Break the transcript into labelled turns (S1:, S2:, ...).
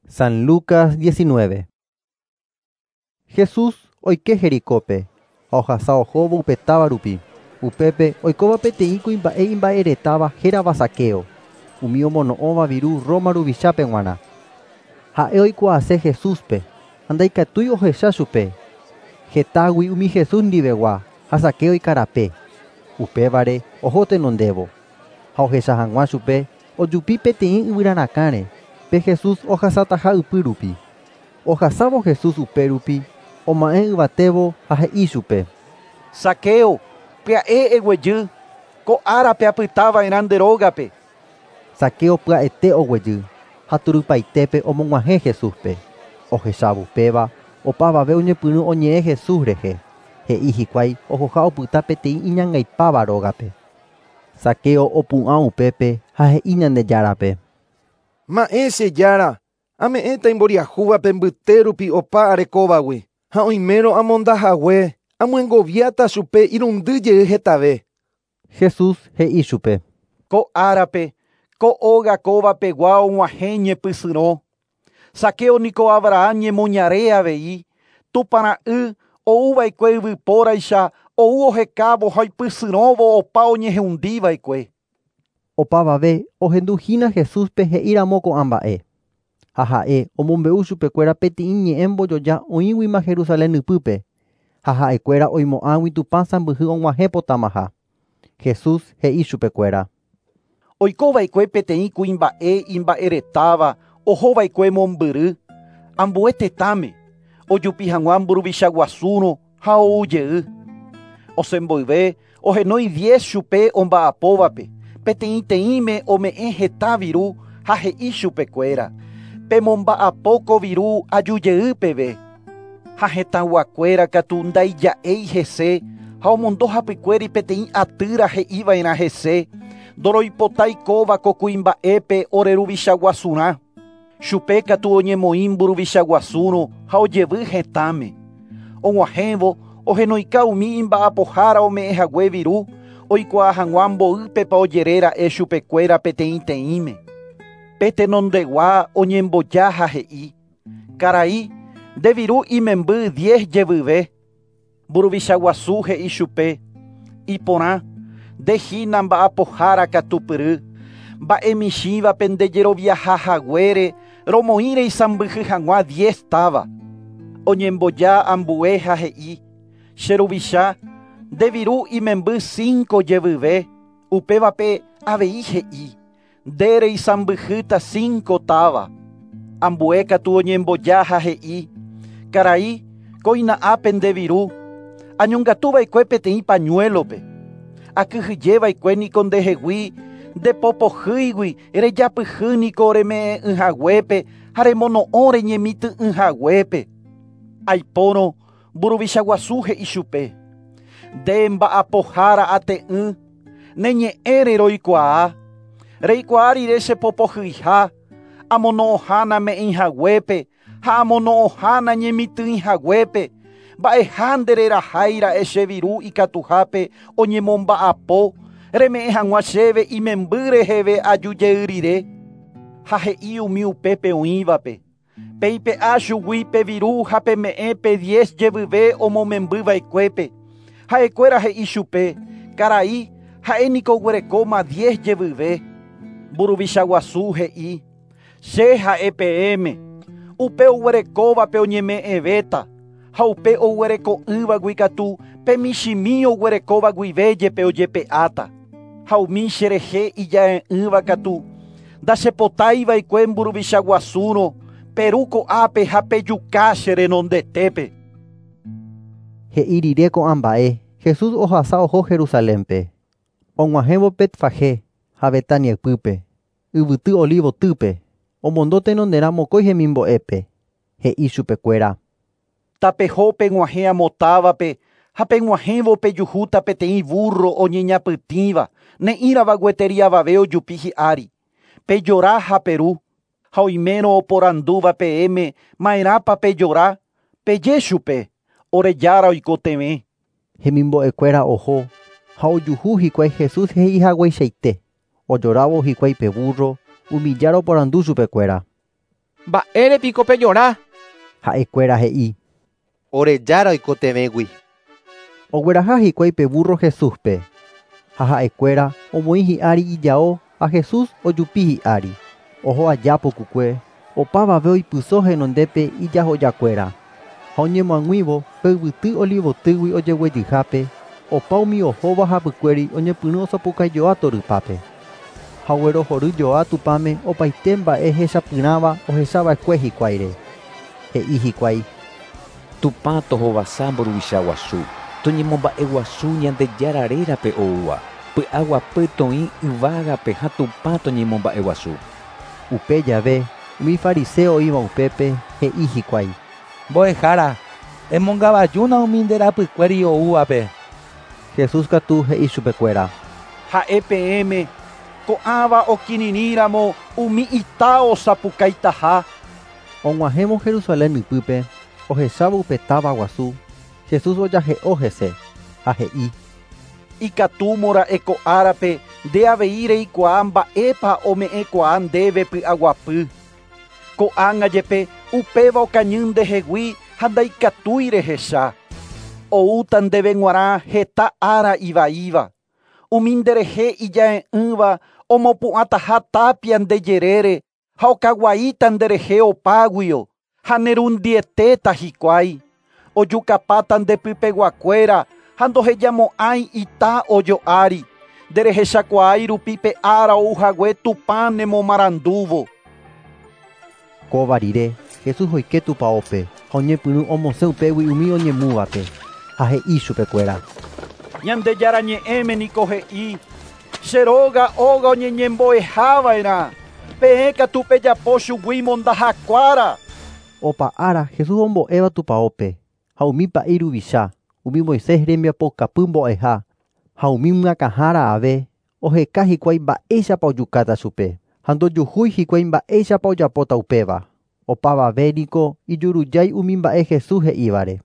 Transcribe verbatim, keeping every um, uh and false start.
S1: San Lucas diecinueve. Jesús oike Jericópe, ha ohasa ohóvo upe táva rupi. Upépe oikóva peteĩ kuimba'e imba'eretáva hérava Zaqueo, umi omono'õva viru Roma ruvichápe g̃uarã. Ha'e oikuaase Jesúspe ha ndaikatúi ohecha chupe. Hetágui umi Jesús ndivegua ha Zaqueo ikarape. Upévare oho tenondévo. Ha ohecha hag̃ua chupe ojupi peteĩ yvyrarakãre pe Jesús ohasataha ypy rupi. Ohasávo Jesús upe rupi oma'ẽ yvatévo ha he'i chupe:
S2: Zaqueo, pya'e eguejy, ko árape apytava'erã nde rógape.
S1: Zaqueo pya'ete oguejy ha turypaitépe omog̃uahẽ Jesúspe. Ohechávo upéva opavave oñepyrũ oñe'ẽ Jesús rehe. He'i hikuái ohoha opyta peteĩ iñangaipáva rógape. Zaqueo opu'ã upépe ha he'i Ñandejárape:
S3: Ma'ẽ che jára, ame'ẽta imboriahúvape mbyte rupi opa arekóvagui ha oimérõ amondahague amyengoviáta chupe irundy jey hetave.
S1: Jesús he'i chupe:
S2: Ko árape, ko óga kóvapegua og̃uahẽ ñepysyrõ. Zaqueo niko Abraham ñemoñare avei, Tupãra'y ouva'ekue yvypóraicha ou ohekávo ha oipysyrõvo opa oñehundiva'ekue.
S1: Opavave ohenduhína Jesúspe he'íramo ko'ã mba'e. Ha ha'e omombe'u chupekuéra peteĩ ñe'ẽ mbojoja oĩguima Jerusalén ypýpe ha ha'ekuéra oimo'ãgui Tupã sãmbyhy og̃uahẽpotamaha. Jesús he'i chupekuéra:
S2: Oikova'ekue peteĩ kuimba'e imba'eretáva ohova'ekue mombyry ambue tetãme ojupi hag̃ua mburuvicha guasúrõ ha ou jey. Osẽmboyve ohenói diez chupe omba'apóvape peteĩteĩme ome'ẽ heta viru ha he'i chupekuéra: Pemomba'apo ko viru aju jey peve. Ha hetãguakuéra katu ndaija'éi hese ha omondo hapykuéri peteĩ atýra he'iva'erã hese ndoroipotái kóva ko kuimba'épe ore ruvicha guasurã. Chupe katu oñemoĩ mburuvicha guasúrõ ha ojevy hetãme. Og̃uahẽvo ohenoika umi imba'apohára ome'ẽhague viru oikuaa hag̃ua mboýpepa ojeréra'e chupekuéra peteĩteĩme. Pe tenondegua oñemboja ha he'i: Karai, nde viru imemby diez jevyve. Mburuvicha guasu he'i chupe: Iporã, nde hína mba'apohára katupyry. Mba'e michĩvape ndejeroviahahaguére romoĩre isãmbyhy hag̃ua diez táva. Oñemboja ambue ha he'i: Che ruvicha, nde viru imemby cinco jevyve. Upévape avei he'i: Nde reisãmbyhýta cinco táva. Ambue katu oñemboja ha he'i: Karai, kóina ápe nde viru. Añongatuva'ekue peteĩ pañuelope. Akyhyjeva'ekue niko ndehegui ndepopohýigui rejapyhy niko reme'ẽ'ỹhaguépe ha remono'õ reñemitỹ'ỹhaguépe. Aipórõ mburuvicha guasu he'i chupe: Nde mba'apohára ate'ỹ, ne ñe'ẽre roikuaa. Reikuaa rire chepopohyiha, amono'õha name'ẽihaguépe ha amono'õha nañemitỹihaguépe. Mba'eha ndereraháira'e che viru ikatuhápe oñemomba'apo reme'ẽ hag̃ua chéve imemby reheve aju jey rire. Ha he'i umi upépe oĩvape: Peipe'a chugui pe viru ha peme'ẽ pe diez jevyve omomembyva'ekuépe. Ha'ekuéra he'i chupe: Karai, ha'e niko oguerekóma diez jevyve. Mburuvicha guasu he'i: Che ha'e peẽme, upe oguerekóvape oñeme'ẽvéta, ha upe oguereko'ỹvagui katu pe michĩmi oguerekóva guive jepe ojepe'áta. Ha umi cherehe ija'e'ỹva katu ndachepotáiva'ekue mburuvicha guasúrõ peru ko'ápe ha pejuka che renondetépe.
S1: He'i rire ko'ã mba'e, Jesús ohasa oho Jerusalénpe. Og̃uahẽvo Betfagé ha Betania ypýpe, yvyty Olivotýpe, omondo tenonderã mokõi hemimbo'épe. He'i chupekuéra:
S2: Tapeho peg̃uahẽ amo távape ha peg̃uahẽvo pejuhúta peteĩ burro oñeñapytĩva ne'ĩrava gueteri avave ojupi hi'ári. Pejora ha peru. Ha oimérõ oporandúva peẽme ma'erãpa pejora, peje chupe: Ore jára oikotevẽ.
S1: Hemimbo'ekuéra oho ha ojuhu hikuái Jesús he'ihagueichaite. Ojorávo hikuái pe burro, umi jára oporandu chupekuéra:
S4: Mba'érepiko pejora?
S1: Ha'ekuéra he'i.
S5: Orejára oikotevẽgui.
S1: Ogueraha hikuái pe burro Jesúspe. Ha ha'ekuéra omoĩ hi'ári ijao ha Jesús ojupi hi'ári. Oho aja pukukue, opavave oipyso henondépe ijahojakuéra. Ha oñemoag̃uívo pe yvyty Olivotýgui ojeguejyhápe, opa umi ohóva hapykuéri oñepyrũ osapukaijoa torypápe. Ha oguerohoryjoa Tupãme opaite mba'e hechapyrãva ohechava'ekue hikuáire. He'i hikuái.
S6: Tupã tohovasa mburuvicha guasu, toñemomba'eguasu Ñandejára rérape oúva, py'aguapy toĩ yvágape ha Tupã toñemomba'eguasu.
S1: Upe jave, umi fariseo oĩva upépe he'i hikuái.
S4: Mbo'ehára, emongavajúna umi nde rapykuéri oúvape.
S1: Jesús katu he'i chupekuéra.
S2: Ha'e peẽme ko'ãva okirirĩramo umi ita osapukaitaha.
S1: Og̃uahẽvo Jerusalén ypýpe, ohechávo upe táva guasu, Jesús ojahe'o hese ha he'i.
S2: Ikatúmora'e ko árape nde avei reikuaa mba'épa ome'ẽkuaa ndéve py'aguapy. Ko'ág̃a jepe upéva okañy ndehegui ha ndaikatúi rehecha. Oúta ndéve g̃uarã heta ára ivaíva. Umi nderehe ija'e'ỹva omopu'ãtaha tapia ndejerére ha okaguaíta nderehe opáguio ha nerundietéta hikuái. Ojukapáta ndepypeguakuéra ha ndohejamo'ãi ita ojo'ári. Nderehechakuaái rupi pe ára ouhague Tupã nemomarandúvo.
S1: Kóva rire, Jesús oike tupãópe ha oñepyrũ omosẽ upégui umi oñemúvape ha he'i chupekuéra.
S2: Ñandejára ñe'ẽme niko he'i che róga óga oñeñembo'ehava'erã. Peẽ katu pejapo chugui mondahakuára.
S1: Opa ára Jesús ombo'éva tupãópe ha umi pa'i ruvicha, umi Moisés rembiapokapy mbo'eha ha umi myakãhára ave oheka hikuái mba'éichapa ojukáta chupe ha ndojuhúi hikuái mba'éichapa ojapóta upéva. Opavave niko ijurujái umi mba'e Jesús he'ívare.